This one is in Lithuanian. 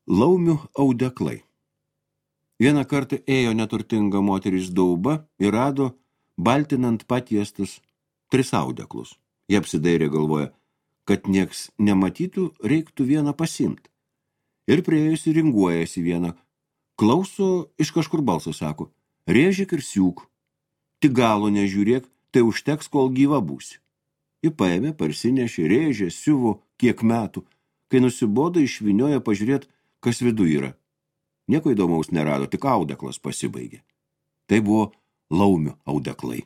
Laumių audeklai. Vieną kartą ėjo neturtinga moteris dauba ir rado baltinant patiestus 3 audeklus. Jie apsidairė, galvoja, kad nieks nematytų, reiktų vieną pasiimti. Ir priėjusi ringuojasi vieną. Klauso, iš kažkur balsas sako, rėžik ir siūk. Tik galo nežiūrėk, tai užteks, kol gyva būsi. Ji paėmė, parsinešė, rėžė, siuvo kiek metų. Kai nusibodo, išvinioja pažiūrėt, kas viduj yra. Nieko įdomaus nerado, tik audeklas pasibaigė. Tai buvo laumių audeklai.